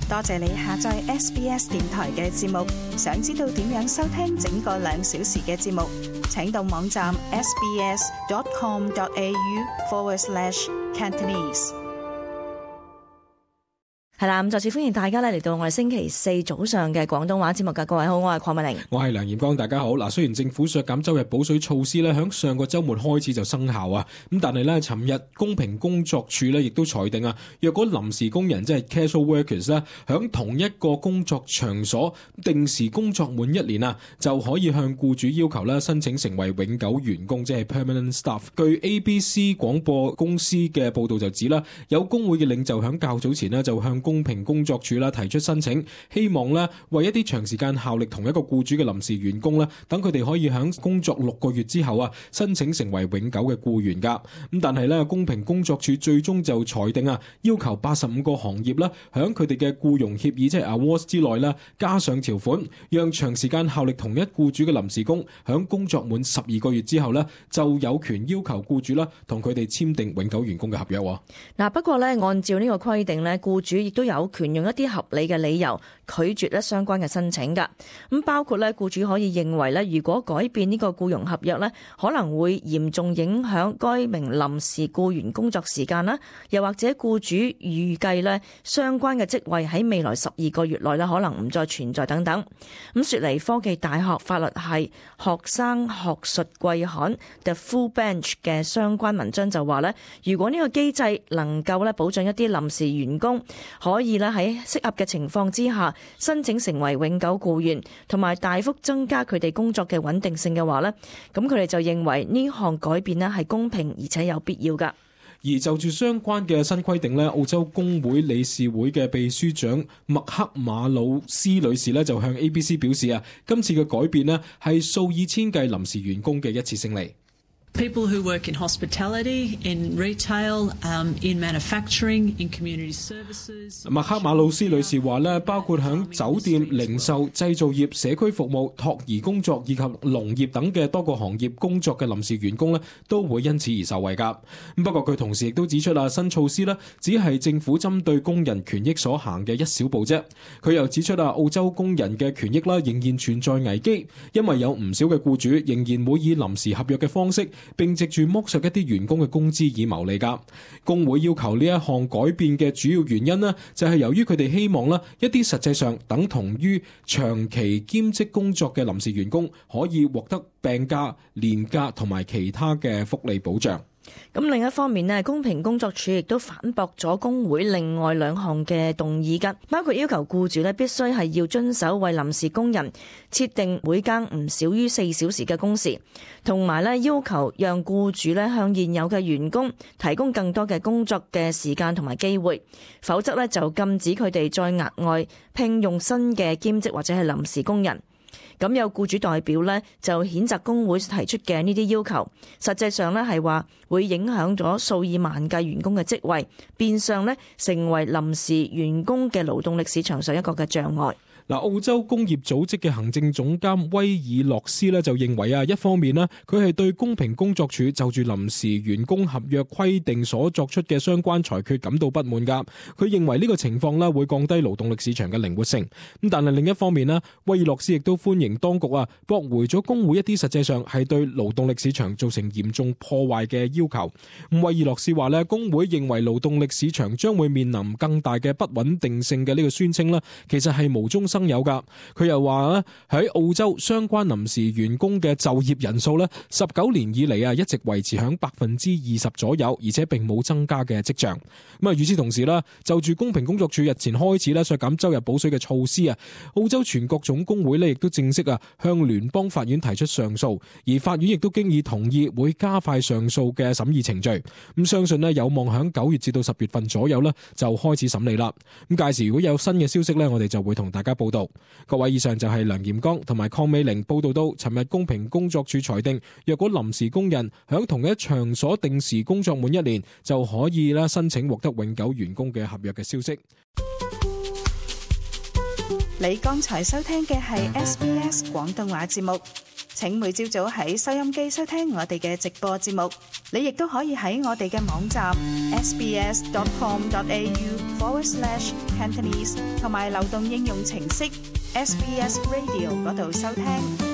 多謝你下載 SBS 電台嘅節目。想知道點樣收聽整個2小時嘅節目，請到網站 sbs.com.au/Cantonese。係啦，咁再次歡迎大家咧嚟到我哋星期四早上嘅廣東話節目㗎。各位好，我係鄺美玲，我係梁炎光，大家好。嗱，雖然政府削減周日補水措施咧，響上個週末開始就生效啊，咁但係咧，尋日公平工作處咧亦都裁定啊，若果臨時工人即係 casual workers 咧，響同一個工作場所定時工作滿1年啊，就可以向僱主要求咧申請成為永久員工，即係 permanent staff。據 ABC 廣播公司嘅報導就指啦，有工會嘅領袖響較早前咧就向公平工作處啦提出申請，希望咧為一啲長時間效力同一個僱主嘅臨時員工咧，等佢哋可以響工作6個月之後啊，申請成為永久嘅僱員噶。咁但係咧，公平工作處最終就裁定啊，要求85個行業啦，響佢哋嘅僱傭協議即係 awards 之內啦，加上條款，讓長時間效力同一僱主嘅臨時工響工作滿12個月之後咧，就有權要求僱主啦同佢哋簽訂永久員工嘅合約。嗱，不過咧，按照呢個規定咧，僱主亦都有權用一啲合理嘅理由拒絕咧相關嘅申請㗎。咁包括咧，僱主可以認為咧，如果改變呢個僱傭合約咧，可能會嚴重影響該名臨時僱員工作時間啦，又或者僱主預計咧相關嘅職位喺未來12個月內咧可能唔再存在等等。咁雪梨科技大學法律系學生學術季刊 The Full Bench 嘅相關文章就話咧，如果呢個機制能夠咧保障一啲臨時員工可以咧喺適合嘅情況之下申請成為永久僱員，同埋大幅增加佢哋工作嘅穩定性嘅話呢，咁佢哋就認為呢項改變咧係公平而且有必要㗎。而就住相關嘅新規定呢，澳洲工會理事會嘅秘書長麥克馬魯斯女士呢就向 ABC 表示啊，今次嘅改變呢係數以千計臨時員工嘅一次勝利。People who work in hospitality, in retail, in manufacturing, in community services. 麥克馬魯斯女士話咧，包括響酒店、零售、製造業、社區服務、托兒工作以及農業等嘅多個行業工作嘅臨時員工咧，都會因此而受惠㗎。不過佢同時亦都指出啊，新措施咧只係政府針對工人權益所行嘅一小步啫。佢又指出啊，澳洲工人嘅權益啦仍然存在危機，因為有唔少嘅僱主仍然會以臨時合約嘅方式，並藉住剝削一啲員工嘅工資以牟利㗎。工會要求呢一項改變嘅主要原因呢，就係由於佢哋希望啦，一啲實際上等同於長期兼職工作嘅臨時員工可以獲得病假、年假同埋其他嘅福利保障。咁另一方面呢，公平工作處亦都反駁咗工會另外2項嘅動議㗎，包括要求僱主呢必須係要遵守為臨時工人設定每更唔少於4小時嘅工時，同埋呢要求讓僱主呢向現有嘅員工提供更多嘅工作嘅時間同埋機會，否則呢就禁止佢哋再額外聘用新嘅兼職或者係臨時工人。咁有僱主代表呢就譴責工會提出嘅呢啲要求，實際上呢係話會影響咗數以萬計員工嘅職位，變相呢成為臨時員工嘅勞動力市場上一個嘅障礙。嗱，澳洲工業組織嘅行政總監威爾洛斯咧就認為啊，一方面呢，佢係對公平工作處就住臨時員工合約規定所作出嘅相關裁決感到不滿㗎。佢認為呢個情況咧會降低勞動力市場嘅靈活性。咁但係另一方面呢，威爾洛斯亦都歡迎當局啊駁回咗工會一啲實際上係對勞動力市場造成嚴重破壞嘅要求。咁威爾洛斯話咧，工會認為勞動力市場將會面臨更大嘅不穩定性嘅呢個宣稱咧，其實係無中生有噶。佢又話咧，喺澳洲相關臨時員工嘅就業人數咧，19年以嚟啊一直維持響20%左右，而且並冇增加嘅跡象。咁啊，與此同時啦，就住公平工作處日前開始咧削減周日補水嘅措施啊，澳洲全國總工會咧亦都正式啊向聯邦法院提出上訴，而法院亦都經已同意會加快上訴嘅審議程序。咁相信咧有望響9月至到10月份左右咧就開始審理啦。咁屆時如果有新嘅消息咧，我哋就會同大家報道。各位，以上就係梁炎剛同埋鄺美玲報道到，尋日公平工作處裁定，若果臨時工人響同一場所定時工作滿1年，就可以啦申請獲得永久員工嘅合約嘅消息。你剛才收聽嘅係 SBS 廣東話節目。請每朝早喺收音機收聽我哋嘅直播節目。你亦都可以喺我哋嘅網站 sbs.com.au/Cantonese 同埋流動應用程式 SBS Radio 嗰度收聽。